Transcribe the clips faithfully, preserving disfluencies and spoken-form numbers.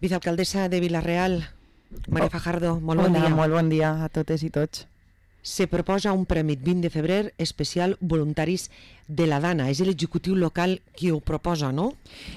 Vicealcaldessa de Vila-real, Maria Oh. Fajardo, molt bon Hola, dia. molt bon dia a totes i tots. Se proposa un premi vint de febrer especial voluntaris de la Dana. És l'executiu local qui ho proposa, no?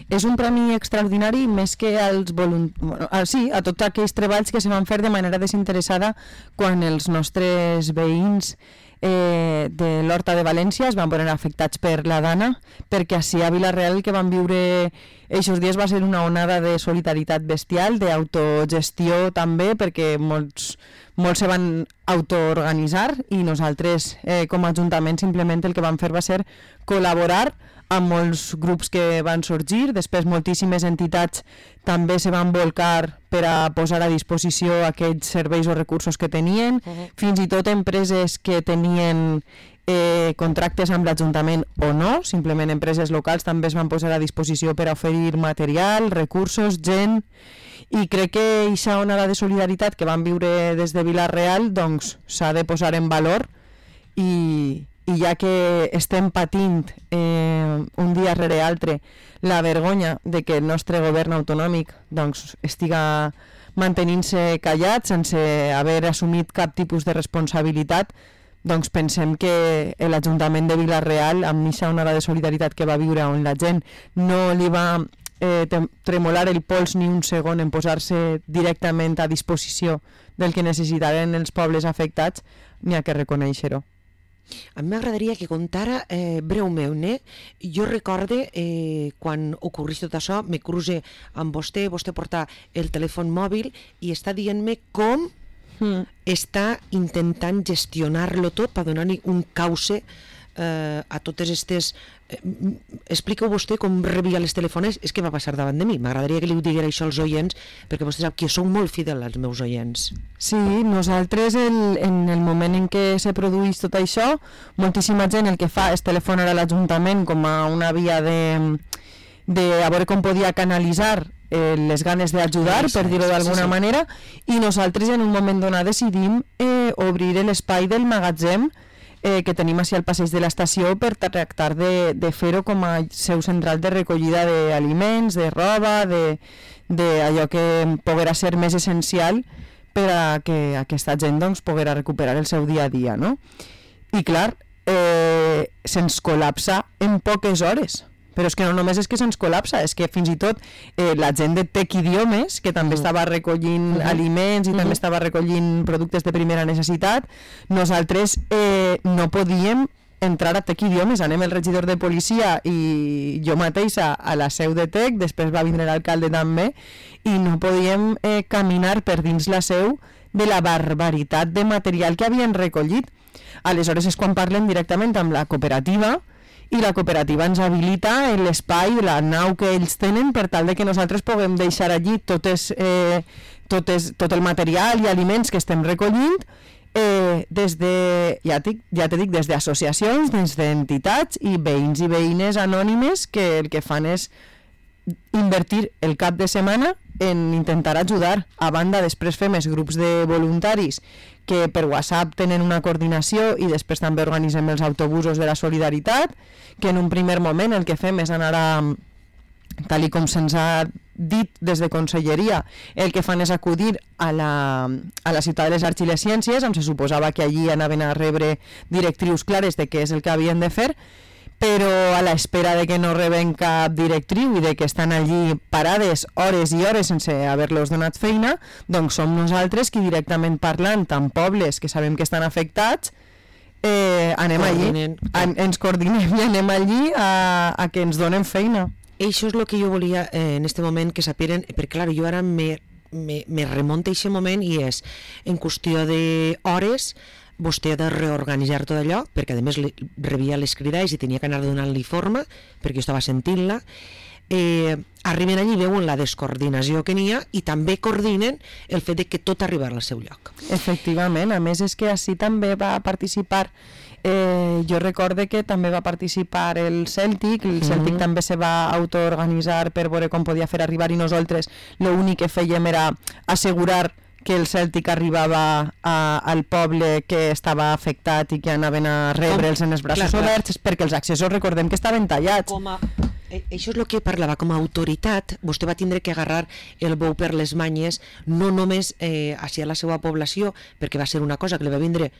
És un premi extraordinari més que als voluntaris, sí, a tots aquells treballs que se van fer de manera desinteressada quan els nostres veïns eh, de l'Horta de València es van veure afectats per la Dana, perquè així a Vila-real el que van viure aquests dies va ser una onada de solidaritat bestial, d'autogestió també, perquè molts, molts se van autoorganitzar i nosaltres eh, com a Ajuntament simplement el que vam fer va ser col·laborar amb molts grups que van sorgir, després moltíssimes entitats també se van volcar per a posar a disposició aquells serveis o recursos que tenien, uh-huh. fins i tot empreses que tenien eh, contractes amb l'Ajuntament o no, simplement empreses locals també es van posar a disposició per a oferir material, recursos, gent, i crec que aquesta onada de solidaritat que van viure des de Vila-real doncs s'ha de posar en valor i, i ja que estem patint eh, un dia rere altre la vergonya de que el nostre govern autonòmic doncs, estiga mantenint-se callat sense haver assumit cap tipus de responsabilitat, doncs pensem que l'Ajuntament de Vila-real, amb aquesta onada de solidaritat que va viure on la gent no li va eh, tremolar el pols ni un segon en posar-se directament a disposició del que necessitaren els pobles afectats, n'hi ha que reconèixer-ho. A mi m'agradaria que contara eh, breument, eh? Jo recorde eh, quan ocorrís tot això, me cruce amb vostè, vostè porta el telèfon mòbil i està dient-me com mm. està intentant gestionar-lo tot per donar-hi un cauce eh, a totes aquestes... Eh, explica vostè com rebia les telefones, és que va passar davant de mi. M'agradaria que li ho diguera això als oients, perquè vostè sap que sou molt fidel als meus oients. Sí, nosaltres el, en el moment en què se produeix tot això, moltíssima gent el que fa és telefonar a l'Ajuntament com a una via de, de a veure com podia canalitzar eh, les ganes d'ajudar, per dir-ho d'alguna sí, sí. manera, i nosaltres en un moment donat decidim eh, obrir l'espai del magatzem Eh, que tenim així al passeig de l'estació per tractar de, de fer-ho com a seu central de recollida d'aliments, de roba, de, de allò que poguera ser més essencial per a que aquesta gent doncs, poguera recuperar el seu dia a dia, no? I clar, eh, se'ns col·lapsa en poques hores. Però és que no només és que se'ns col·lapsa, és que fins i tot eh, la gent de Tec Idiomes, que també estava recollint uh-huh. aliments i uh-huh. també estava recollint productes de primera necessitat, nosaltres eh, no podíem entrar a Tec Idiomes. Anem el regidor de policia i jo mateixa a la seu de Tec, després va vindre l'alcalde també, i no podíem eh, caminar per dins la seu de la barbaritat de material que havien recollit. Aleshores és quan parlem directament amb la cooperativa, i la cooperativa ens habilita l'espai, la nau que ells tenen per tal de que nosaltres puguem deixar allí totes, eh, totes, tot el material i aliments que estem recollint eh, des de, ja t'he ja dit, des d'associacions, des d'entitats i veïns i veïnes anònimes que el que fan és invertir el cap de setmana en intentar ajudar. A banda, després fem els grups de voluntaris que per WhatsApp tenen una coordinació i després també organitzem els autobusos de la solidaritat, que en un primer moment el que fem és anar a, tal i com se'ns ha dit des de Conselleria, el que fan és acudir a la, a la ciutat de les arts i les ciències, on se suposava que allí anaven a rebre directrius clares de què és el que havien de fer, però a l'espera de que no reben cap directriu i de que estan allí parades hores i hores sense haver-los donat feina, doncs som nosaltres qui directament parlant amb pobles que sabem que estan afectats, eh, anem allí, en, ens coordinem i anem allí a, a que ens donen feina. Això és el que jo volia eh, en este moment que saperen, perquè clar, jo ara me, me, me remonta a aquest moment i és en qüestió d'hores vostè ha de reorganitzar tot allò, perquè a més rebia les cridades i tenia que anar donant-li forma, perquè jo estava sentint-la. Eh, arriben allí, veuen la descoordinació que n'hi ha i també coordinen el fet de que tot arribarà al seu lloc. Efectivament, a més és que així també va participar, eh, jo recorde que també va participar el Cèltic, el Cèltic mm-hmm. també se va autoorganitzar per veure com podia fer arribar i nosaltres l'únic que fèiem era assegurar que el Cèltic arribava a, al poble que estava afectat i que anaven a rebre'ls en els braços clar, oberts, clar. Perquè els accessos recordem que estaven tallats. Com a, Això és el que parlava, com a autoritat vostè va tindre que agarrar el bou per les manyes, no només eh, hacia la seva població, perquè va ser una cosa que li va vindre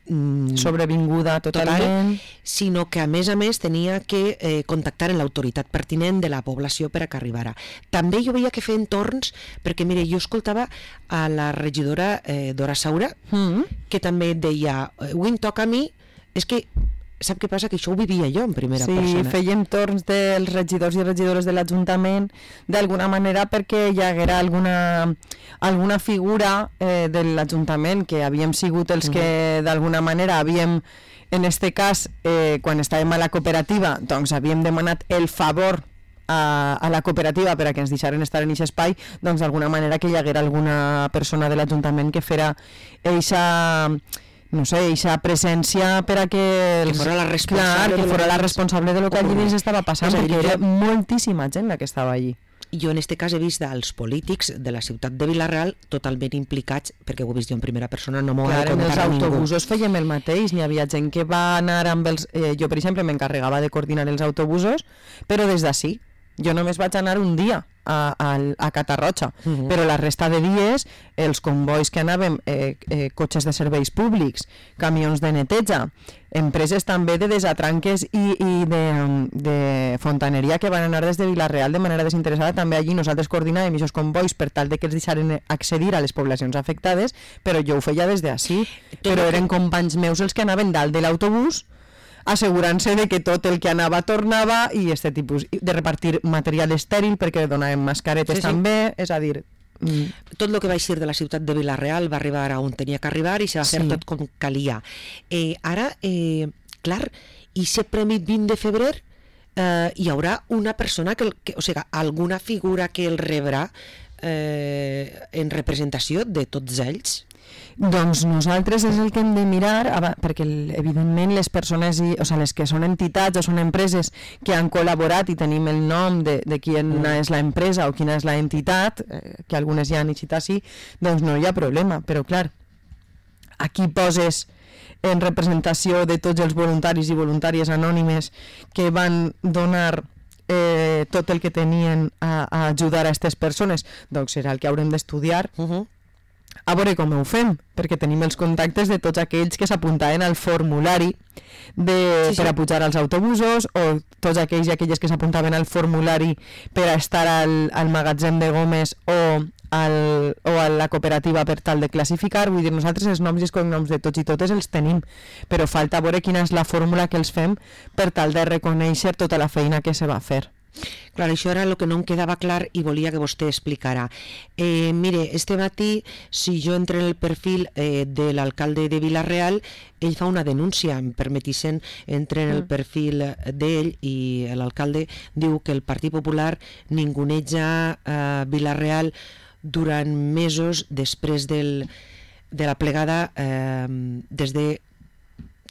mm, sobrevinguda totalment, total, sinó que a més a més tenia que eh, contactar amb l'autoritat pertinent de la població per a que arribara. També jo veia que feien torns, perquè mire, jo escoltava a la regidora eh, Dora Saura, mm. que també deia, avui em toca a mi, és que sap què passa? Que això ho vivia jo en primera sí, persona. Sí, feien torns dels regidors i regidores de l'Ajuntament d'alguna manera perquè hi haguera alguna, alguna figura eh, de l'Ajuntament que havíem sigut els uh-huh. que d'alguna manera havíem, en este cas, eh, quan estàvem a la cooperativa, doncs havíem demanat el favor a, a la cooperativa per a que ens deixaren estar en aquest espai, doncs d'alguna manera que hi haguera alguna persona de l'Ajuntament que fera eixa... no sé, eixa presència per a que... Els... Que fora la responsable, clar, que fora la responsable de lo que allí dins estava passant, perquè era jo... moltíssima gent la que estava allí. Jo en este cas he vist els polítics de la ciutat de Vila-real totalment implicats, perquè ho he vist jo en primera persona, no m'ho ha de contar a ningú. En els autobusos fèiem el mateix, n'hi havia gent que va anar amb els... Eh, jo, per exemple, m'encarregava de coordinar els autobusos, però des d'ací. Jo només vaig anar un dia a, a, a Catarroja, uh-huh. però la resta de dies els convois que anàvem, eh, eh, cotxes de serveis públics, camions de neteja, empreses també de desatranques i, i de, de fontaneria que van anar des de Vila-real de manera desinteressada, també allí nosaltres coordinàvem aquests convois per tal de que els deixaren accedir a les poblacions afectades, però jo ho feia des d'ací, però eren companys meus els que anaven dalt de l'autobús assegurant-se de que tot el que anava tornava i este tipus de repartir material estèril perquè donàvem mascaretes sí, sí. també, és a dir... Mm. Tot el que va eixir de la ciutat de Vila-real va arribar on tenia que arribar i se va fer sí. tot com calia. Eh, ara, eh, clar, i si premi vint de febrer eh, hi haurà una persona, que, que, o sigui, alguna figura que el rebrà eh, en representació de tots ells? Doncs nosaltres és el que hem de mirar, perquè evidentment les persones, i, o sigui, les que són entitats o són empreses que han col·laborat i tenim el nom de, de quina mm. és l'empresa o quina és l'entitat, eh, que algunes ja han eixit així, doncs no hi ha problema, però clar, aquí poses en representació de tots els voluntaris i voluntàries anònimes que van donar eh, tot el que tenien a, a ajudar a aquestes persones, doncs serà el que haurem d'estudiar, uh-huh. a veure com ho fem, perquè tenim els contactes de tots aquells que s'apuntaven al formulari de, sí, sí. per a pujar als autobusos, o tots aquells i aquelles que s'apuntaven al formulari per a estar al, al magatzem de gomes o, al, o a la cooperativa per tal de classificar. Vull dir, nosaltres els noms i els cognoms de tots i totes els tenim, però falta veure quina és la fórmula que els fem per tal de reconèixer tota la feina que se va fer. Clar, això era el que no em quedava clar i volia que vostè explicara. Eh, mire, este matí, si jo entro en el perfil eh, de l'alcalde de Vila-real, ell fa una denúncia, em permetissin, entre en el perfil d'ell i l'alcalde diu que el Partit Popular ninguneja eh, Vila-real durant mesos després del, de la plegada, eh, des de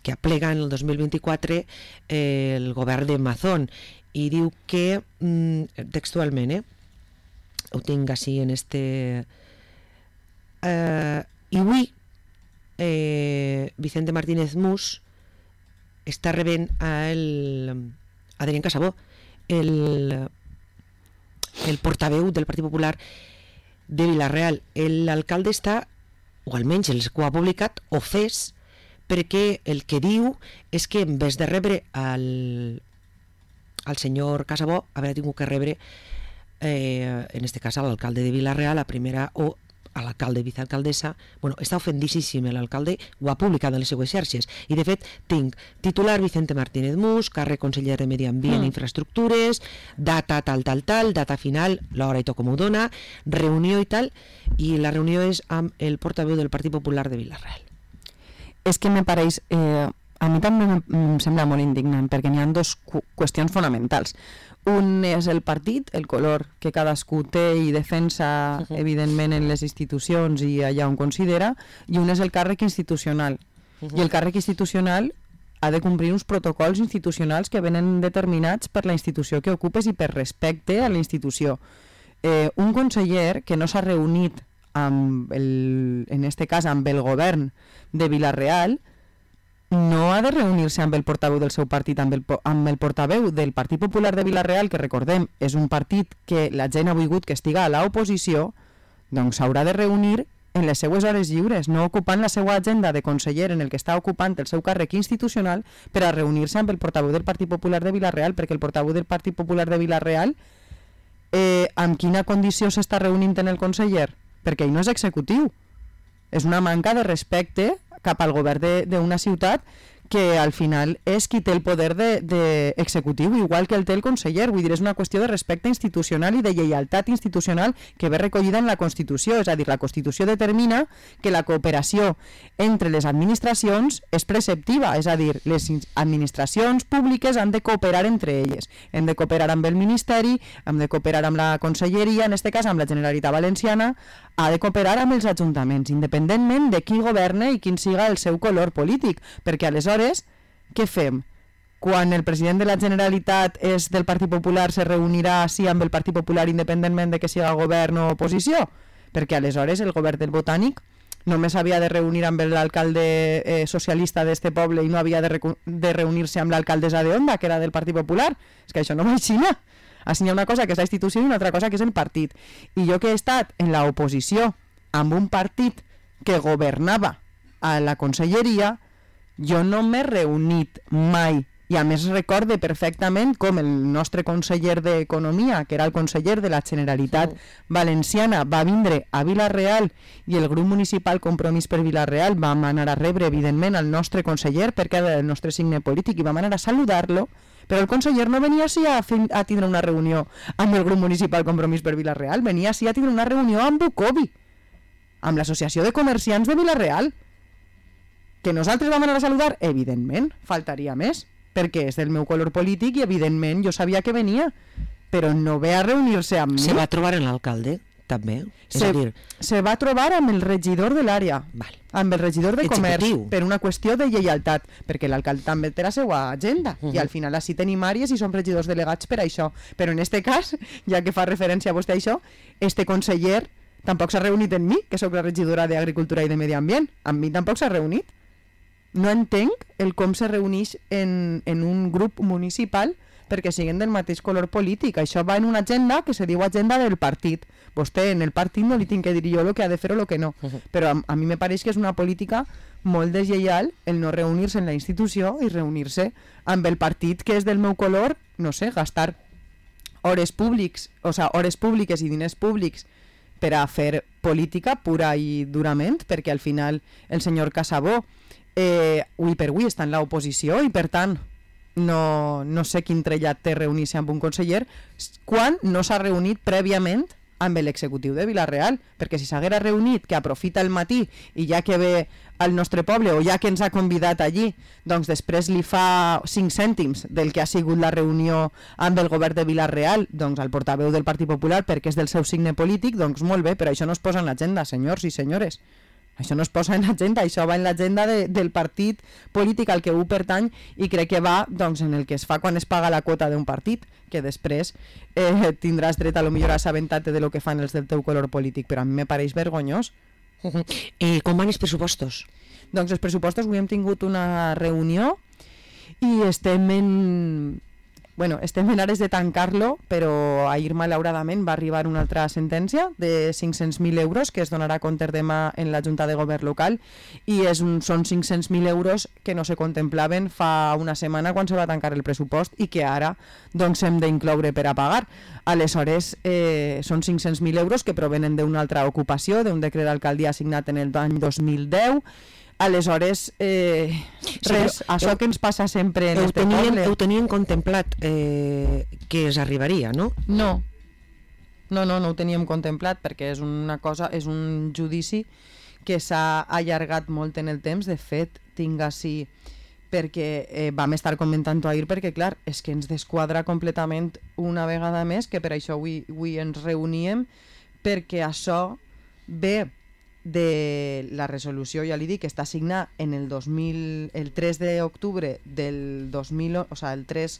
que aplega en el dos mil vint-i-quatre eh, el govern de Mazón, i diu que, textualment, eh, ho tinc així en este... Eh, i avui eh, Vicente Martínez Mus està rebent a el Adrián Casabó, el, el portaveu del Partit Popular de Vila-real. L'alcalde està, o almenys els que ho ha publicat, ofès perquè el que diu és que en vez de rebre el al senyor Casabó haver tingut que rebre eh, en este cas a l'alcalde de Vila-real, a primera, o a l'alcalde i vicealcaldessa. Bueno, està ofendíssim l'alcalde, ho ha publicat en les seues xarxes, i de fet tinc titular Vicente Martínez Mus, càrrec conseller de Medi Ambient i mm. Infraestructures, data tal tal tal, data final, l'hora i tot com ho dona, reunió i tal, i la reunió és amb el portaveu del Partit Popular de Vila-real. És que me pareix... Eh... A mi també em sembla molt indignant, perquè n'hi ha dues qu- qüestions fonamentals. Un és el partit, el color que cadascú té i defensa, uh-huh. evidentment, en les institucions i allà on considera, i un és el càrrec institucional. Uh-huh. I el càrrec institucional ha de complir uns protocols institucionals que venen determinats per la institució que ocupes i per respecte a la institució. Eh, un conseller que no s'ha reunit, amb el, en este cas, amb el govern de Vila-real, no ha de reunir-se amb el portaveu del seu partit, amb el, amb el portaveu del Partit Popular de Vila-real, que recordem, és un partit que la gent ha volgut que estiga a l'oposició, doncs s'haurà de reunir en les seues hores lliures, no ocupant la seva agenda de conseller en el que està ocupant el seu càrrec institucional per a reunir-se amb el portaveu del Partit Popular de Vila-real, perquè el portaveu del Partit Popular de Vila-real eh, amb quina condició s'està reunint en el conseller? Perquè ell no és executiu. És una manca de respecte cap al govern d'una ciutat que al final és qui té el poder de, de executiu, igual que el té el conseller. Vull dir, és una qüestió de respecte institucional i de lleialtat institucional que ve recollida en la Constitució. És a dir, la Constitució determina que la cooperació entre les administracions és preceptiva, és a dir, les administracions públiques han de cooperar entre elles. Hem de cooperar amb el Ministeri, hem de cooperar amb la Conselleria, en aquest cas amb la Generalitat Valenciana, ha de cooperar amb els ajuntaments, independentment de qui governe i quin siga el seu color polític, perquè aleshores, què fem? Quan el president de la Generalitat és del Partit Popular, se reunirà sí amb el Partit Popular independentment de que siga govern o oposició? Perquè aleshores el govern del Botànic només havia de reunir amb l'alcalde eh, socialista d'este poble i no havia de, de reunir-se amb l'alcaldessa de Onda, que era del Partit Popular. És que això no va així, no? Així hi ha una cosa que és la institució i una altra cosa que és el partit. I jo que he estat en l'oposició amb un partit que governava a la conselleria, jo no m'he reunit mai. I a més recorde perfectament com el nostre conseller d'Economia, que era el conseller de la Generalitat Valenciana, va vindre a Vila-real i el grup municipal Compromís per Vila-real vam anar a rebre, evidentment, al nostre conseller perquè era el nostre signe polític i vam anar a saludar-lo, però el conseller no venia així a, fer, a tindre una reunió amb el grup municipal Compromís per Vila-real, venia així a tindre una reunió amb Bucovi, amb l'Associació de Comerciants de Vila-real. Que nosaltres vam anar a saludar? Evidentment, faltaria més, perquè és del meu color polític i evidentment jo sabia que venia, però no ve a reunir-se amb mi. Se va trobar en l'alcalde, també? És Se, a dir... se va trobar amb el regidor de l'àrea, amb el regidor de comerç, per una qüestió de lleialtat, perquè l'alcalde també té la seva agenda, uh -huh. i al final així tenim àrees i som regidors delegats per això. Però en este cas, ja que fa referència a vostè a això, este conseller tampoc s'ha reunit amb mi, que sóc la regidora d'Agricultura i de Medi Ambient. Amb mi tampoc s'ha reunit. No entenc el com se reuneix en, en un grup municipal perquè siguin del mateix color polític. Això va en una agenda que se diu agenda del partit. Vostè en el partit no li tinc que dir jo el que ha de fer o el que no. Uh-huh. Però a, a mi me pareix que és una política molt deslleial el no reunir-se en la institució i reunir-se amb el partit que és del meu color, no sé, gastar hores públics, o sea, hores públiques i diners públics per a fer política pura i durament, perquè al final el senyor Casabó eh, avui per avui està en l'oposició i per tant no, no sé quin trellat té reunir-se amb un conseller quan no s'ha reunit prèviament amb l'executiu de Vila-real, perquè si s'haguera reunit, que aprofita el matí i ja que ve al nostre poble o ja que ens ha convidat allí, doncs després li fa cinc cèntims del que ha sigut la reunió amb el govern de Vila-real, doncs al portaveu del Partit Popular perquè és del seu signe polític, doncs molt bé, però això no es posa en l'agenda, senyors i senyores. Això no es posa en l'agenda, això va en l'agenda de, del partit polític al que ho pertany i crec que va doncs, en el que es fa quan es paga la quota d'un partit, que després eh, tindràs dret a lo millor a assabentar-te de lo que fan els del teu color polític, però a mi me pareix vergonyós. Uh-huh. eh, com van els pressupostos? Doncs els pressupostos, avui hem tingut una reunió i estem en... Bueno, estem en ares de tancar-lo, però ahir malauradament va arribar una altra sentència de cinc-cents mil euros que es donarà compte demà en la Junta de Govern local i és un, són cinc-cents mil euros que no se contemplaven fa una setmana quan se va tancar el pressupost i que ara doncs hem d'incloure per a pagar. Aleshores, eh, són cinc-cents mil euros que provenen d'una altra ocupació, d'un decret d'alcaldia signat en l'any dos mil deu. Aleshores, eh, res, sí, això heu, que ens passa sempre en este poble... Heu tenien contemplat eh, que es arribaria, no? No, no, no, no ho teníem contemplat perquè és una cosa, és un judici que s'ha allargat molt en el temps. De fet, tinc així, perquè eh, vam estar comentant-ho ahir, perquè clar, és que ens desquadra completament una vegada més, que per això avui, avui ens reuníem, perquè això ve de la resolució, ja li dic, que està signada en el dos mil, el tres d'octubre del dos mil, o sea, el tres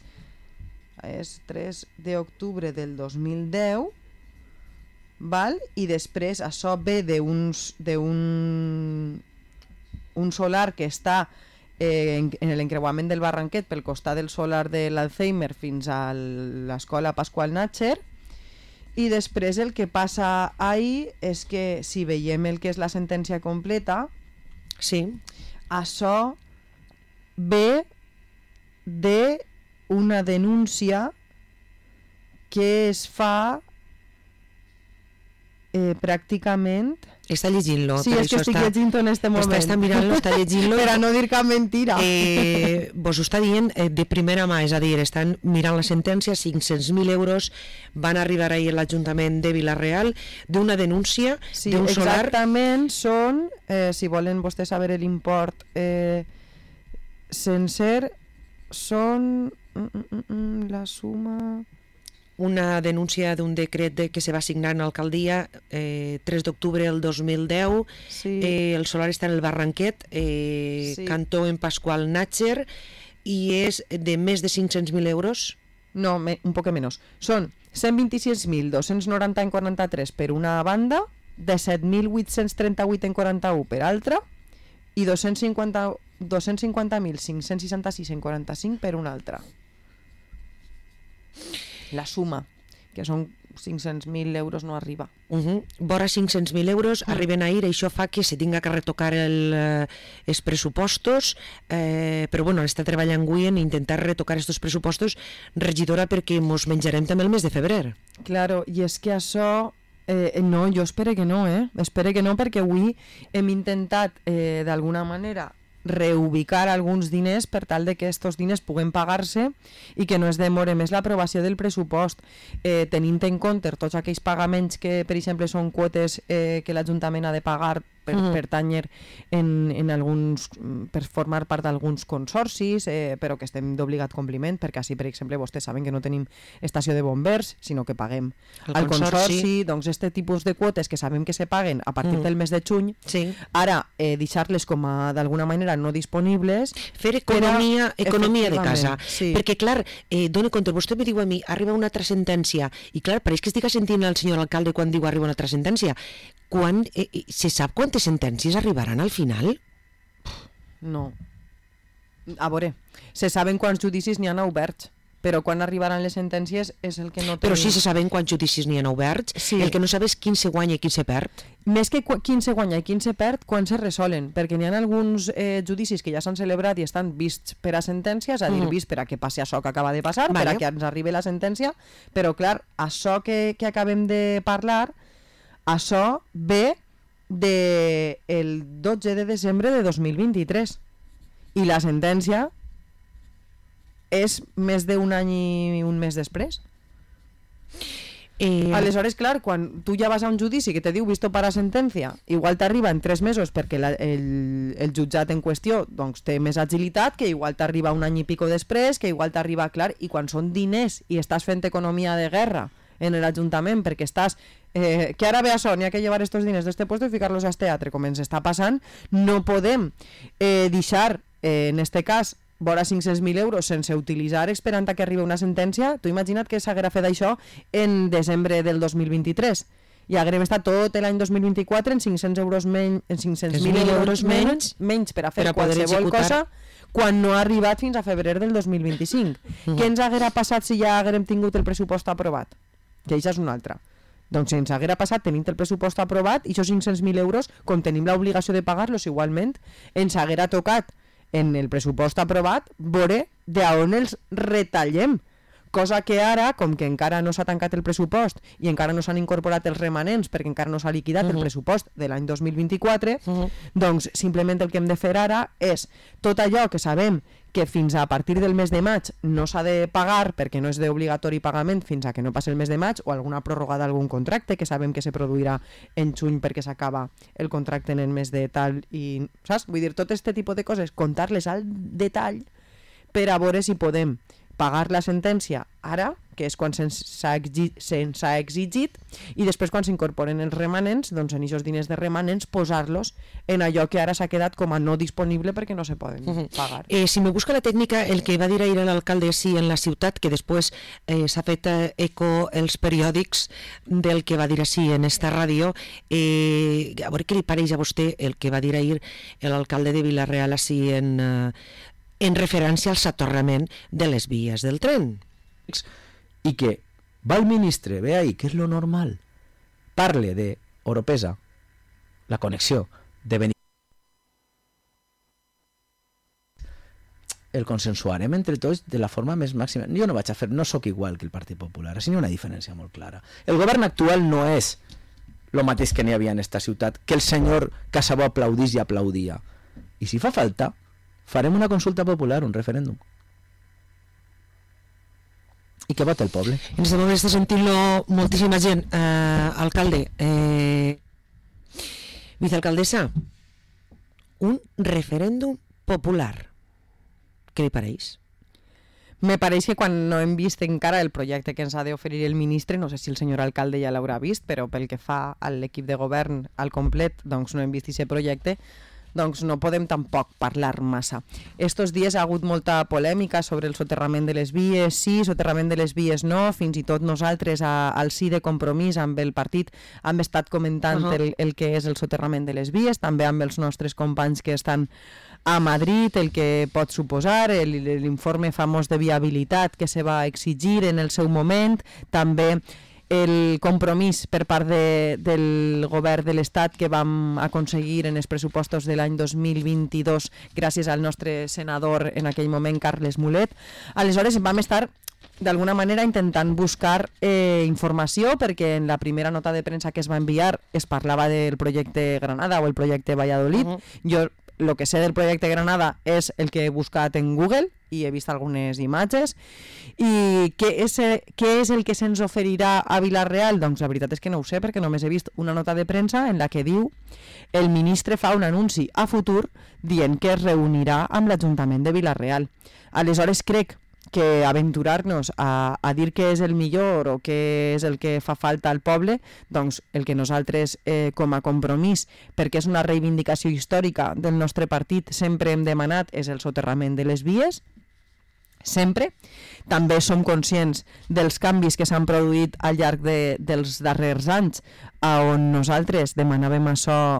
és tres d'octubre del dos mil deu, val? I després això ve d'un d'un un solar que està eh, en, en l'encreuament del Barranquet pel costat del solar de l'Alzheimer fins a l'escola Pasqual Natcher, i després el que passa ahir és que si veiem el que és la sentència completa, sí, això ve de una denúncia que es fa eh, pràcticament... Està llegint-lo. Sí, és que estic està... llegint-ho en este moment. Està, està mirant-lo, està llegint-lo. Per a no dir cap mentira. Eh, vos ho està dient eh, de primera mà, és a dir, estan mirant la sentència, cinc-cents mil euros van arribar ahir a l'Ajuntament de Vila-real d'una denúncia sí, d'un solar... Exactament, són, eh, si volen vostès saber l'import eh, sencer, són mm, mm, mm, la suma... Una denúncia d'un decret de, que se va signar en l'alcaldia eh, tres d'octubre del dos mil deu. Sí. Eh, el solar està en el Barranquet, eh, sí. Cantó en Pasqual Natcher, i és de més de cinc-cents mil euros. No, me, un poc menys. Són cent vint-i-sis mil dos-cents noranta en quaranta-tres per una banda, disset mil vuit-cents trenta-vuit en quaranta-u per altra, i dos-cents cinquanta mil cinc-cents seixanta-sis en quaranta-cinc per una altra. La suma, que són cinc-cents mil euros, no arriba. Uh -huh. Vora cinc-cents mil euros mm. arriben ahir, això fa que se tinga que retocar el, eh, els pressupostos, eh, però bueno, està treballant avui en intentar retocar aquests pressupostos, regidora, perquè mos menjarem també el mes de febrer. Claro, i és que això... Eh, no, jo espero que no, eh? Espero que no, perquè avui hem intentat, eh, d'alguna manera, reubicar alguns diners per tal de que aquests diners puguen pagar-se i que no es demore més l'aprovació del pressupost, eh, tenint en compte tots aquells pagaments que, per exemple, són quotes eh, que l'Ajuntament ha de pagar per mm. pertanyer en, en alguns, per formar part d'alguns consorcis, eh, però que estem d'obligat compliment, perquè així, per exemple, vostès saben que no tenim estació de bombers, sinó que paguem el al consorci. consorci. Doncs aquest tipus de quotes que sabem que se paguen a partir mm. del mes de juny, sí. ara eh, deixar-les com a, d'alguna manera, no disponibles. Fer economia, però, economia de casa. Sí. Perquè, clar, eh, dona compte, vostè me diu a mi, arriba una altra sentència, i clar, pareix que estic sentint el senyor alcalde quan diu arriba una altra sentència. Quan, eh, se sap quantes sentències arribaran al final? No. A veure, se saben quants judicis n'hi ha oberts, però quan arribaran les sentències és el que no tenim. Però sí se saben quants judicis n'hi ha oberts, sí. El que no sabes quin se guanya i quin se perd. Més que quin se guanya i quin se perd, quan se resolen, perquè n'hi ha alguns eh, judicis que ja s'han celebrat i estan vists per a sentències, a dir, mm. vists per a que passi això que acaba de passar, vale. Per a que ens arribi la sentència, però clar, això que, que acabem de parlar, això ve del de dotze de desembre de dos mil vint-i-tres i la sentència és més d'un any i un mes després. Eh... Aleshores, clar, quan tu ja vas a un judici que te diu visto para sentència, igual t'arriba en tres mesos perquè la, el, el jutjat en qüestió doncs, té més agilitat, que igual t'arriba un any i pico després, que igual t'arriba, clar, i quan són diners i estàs fent economia de guerra en l'Ajuntament perquè estàs, eh, que ara ve això, n'hi ha que llevar estos diners d'este puesto i ficar-los al teatre, com ens està passant, no podem eh, deixar, eh, en este cas, vora cinc-cents mil euros sense utilitzar esperant a que arribi una sentència. Tu imagina't que s'haguera fet això en desembre del dos mil vint-i-tres i haguem estat tot l'any dos mil vint-i-quatre en cinc-cents euros menys, en cinc-cents mil euros menys, menys per a fer per a qualsevol cosa quan no ha arribat fins a febrer del dos mil vint-i-cinc. Mm. Què ens haguera passat si ja haguem tingut el pressupost aprovat? Que això és una altra. Doncs si ens haguera passat tenint el pressupost aprovat i aquests cinc-cents mil euros, com tenim l'obligació de pagar-los igualment, ens haguera tocat en el pressupost aprovat veure d'on els retallem, cosa que ara, com que encara no s'ha tancat el pressupost i encara no s'han incorporat els remanents perquè encara no s'ha liquidat uh-huh. el pressupost de l'any dos mil vint-i-quatre, uh-huh. doncs simplement el que hem de fer ara és tot allò que sabem que fins a partir del mes de maig no s'ha de pagar perquè no és d'obligatori pagament fins a que no passi el mes de maig, o alguna pròrroga d'algun contracte que sabem que se produirà en juny perquè s'acaba el contracte en el mes de tal i, saps? Vull dir, tot aquest tipus de coses, contar-les al detall per a veure si podem pagar la sentència ara, que és quan se'ns ha exigit, se'ns ha exigit, i després quan s'incorporen els remanents, doncs en aquests diners de remanents posar-los en allò que ara s'ha quedat com a no disponible perquè no se poden uh-huh. pagar. Eh, si me busca la tècnica, el que va dir ahir l'alcalde sí en la ciutat, que després eh, s'ha fet eh, eco els periòdics del que va dir així en esta ràdio, eh, a veure què li pareix a vostè el que va dir ahir l'alcalde de Vila-real així en, eh, en referència al soterrament de les vies del tren. I que va el ministre, ve ahí, que és lo normal, parle de Oropesa, la connexió de Benítez. El consensuarem entre tots de la forma més màxima. Jo no vaig a fer, no sóc igual que el Partit Popular, així hi ha una diferència molt clara. El govern actual no és el mateix que n'hi havia en esta ciutat, que el senyor Casabó aplaudís i aplaudia. I si fa falta, farem una consulta popular, un referèndum. I que vota el poble. En aquest moment està sentint-lo moltíssima gent. Eh, alcalde, eh, vicealcaldessa, un referèndum popular. Què li pareix? Me pareix que quan no hem vist encara el projecte que ens ha d'oferir el ministre, no sé si el senyor alcalde ja l'haurà vist, però pel que fa a l'equip de govern al complet, doncs no hem vist aquest projecte, doncs no podem tampoc parlar massa. Estos dies ha hagut molta polèmica sobre el soterrament de les vies, sí, soterrament de les vies no, fins i tot nosaltres a, al sí de Compromís amb el partit hem estat comentant uh-huh. el, el que és el soterrament de les vies, també amb els nostres companys que estan a Madrid, el que pot suposar, l'informe famós de viabilitat que se va exigir en el seu moment, també el compromís per part de, del govern de l'Estat que vam aconseguir en els pressupostos de l'any dos mil vint-i-dos gràcies al nostre senador en aquell moment, Carles Mulet. Aleshores vam estar d'alguna manera intentant buscar eh, informació, perquè en la primera nota de premsa que es va enviar es parlava del projecte Granada o el projecte Valladolid. Uh-huh. Jo el que sé del projecte Granada és el que he buscat en Google i he vist algunes imatges. I què és, què és el que se'ns oferirà a Vila-real? Doncs la veritat és que no ho sé, perquè només he vist una nota de premsa en la que diu el ministre fa un anunci a futur dient que es reunirà amb l'Ajuntament de Vila-real. Aleshores crec que aventurar-nos a, a dir què és el millor o què és el que fa falta al poble, doncs el que nosaltres eh, com a Compromís, perquè és una reivindicació històrica del nostre partit, sempre hem demanat és el soterrament de les vies, sempre. També som conscients dels canvis que s'han produït al llarg de, dels darrers anys, on nosaltres demanàvem això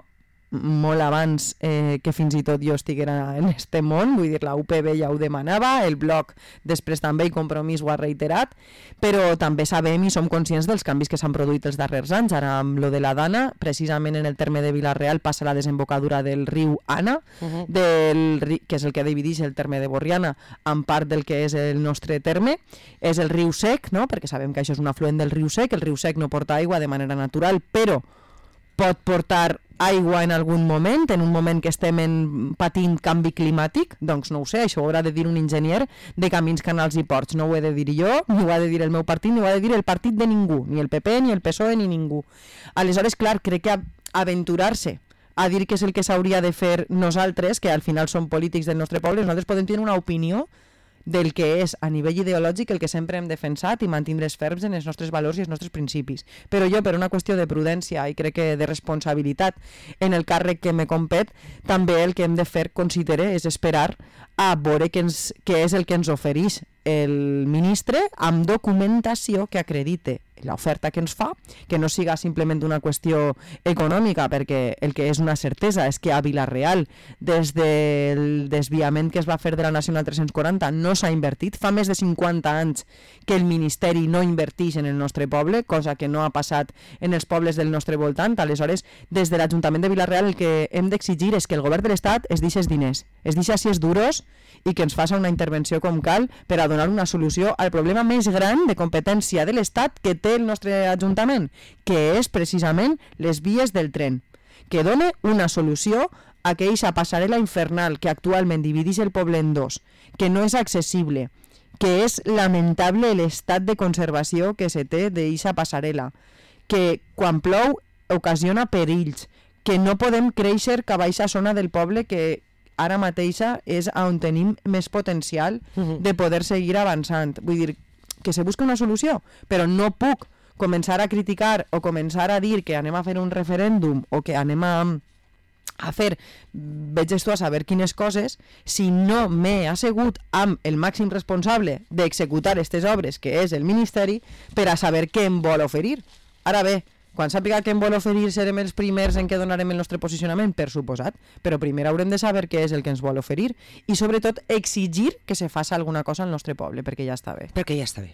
molt abans eh, que fins i tot jo estiguera en este món, vull dir, la U P B ja ho demanava, el Bloc després també i Compromís ho ha reiterat, però també sabem i som conscients dels canvis que s'han produït els darrers anys. Ara amb lo de la Dana, precisament en el terme de Vila-real passa la desembocadura del riu Ana, uh-huh. del, que és el que divideix el terme de Borriana en part del que és el nostre terme, és el riu Sec, no? Perquè sabem que això és un afluent del riu Sec, el riu Sec no porta aigua de manera natural, però pot portar aigua en algun moment, en un moment que estem en, patint canvi climàtic, doncs no ho sé, això ho haurà de dir un enginyer de camins, canals i ports, no ho he de dir jo, ni ho ha de dir el meu partit, ni ho ha de dir el partit de ningú, ni el P P, ni el P S O E, ni ningú. Aleshores, clar, crec que aventurar-se a dir què és el que s'hauria de fer nosaltres, que al final som polítics del nostre poble, nosaltres podem tenir una opinió del que és a nivell ideològic el que sempre hem defensat i mantindre's ferms en els nostres valors i els nostres principis. Però jo, per una qüestió de prudència i crec que de responsabilitat en el càrrec que me compet, també el que hem de fer, considere, és esperar a veure què, ens, què és el que ens ofereix el ministre amb documentació que acredite l'oferta que ens fa, que no siga simplement una qüestió econòmica, perquè el que és una certesa és que a Vila-real, des del desviament que es va fer de la Nacional tres-cents quaranta, no s'ha invertit. Fa més de cinquanta anys que el Ministeri no inverteix en el nostre poble, cosa que no ha passat en els pobles del nostre voltant. Aleshores, des de l'Ajuntament de Vila-real el que hem d'exigir és que el govern de l'Estat es deixi els diners, es deixi si és duros i que ens faci una intervenció com cal per a donar una solució al problema més gran de competència de l'Estat que té el nostre Ajuntament, que és precisament les vies del tren, que dona una solució a aquella passarel·la infernal que actualment divideix el poble en dos, que no és accessible, que és lamentable l'estat de conservació que se té d'aquesta passarel·la, que quan plou ocasiona perills, que no podem créixer cap a aquesta zona del poble que ara mateixa és on tenim més potencial de poder seguir avançant. Vull dir, que se busca una solució, però no puc començar a criticar o començar a dir que anem a fer un referèndum o que anem a, a fer, veges tu a saber quines coses, si no m'he assegut amb el màxim responsable d'executar aquestes obres, que és el Ministeri, per a saber què em vol oferir. Ara bé, quan sàpiga què em vol oferir serem els primers en què donarem el nostre posicionament, per suposat, però primer haurem de saber què és el que ens vol oferir i sobretot exigir que se faci alguna cosa al nostre poble, perquè ja està bé. Perquè ja està bé.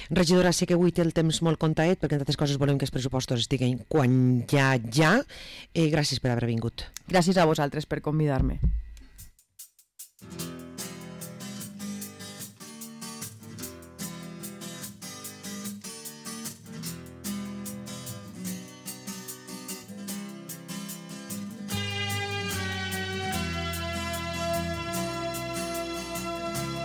Regidora, sé que avui té el temps molt contaet, perquè entre altres coses volem que els pressupostos estiguin quan ja, ja. Eh, gràcies per haver vingut. Gràcies a vosaltres per convidar-me.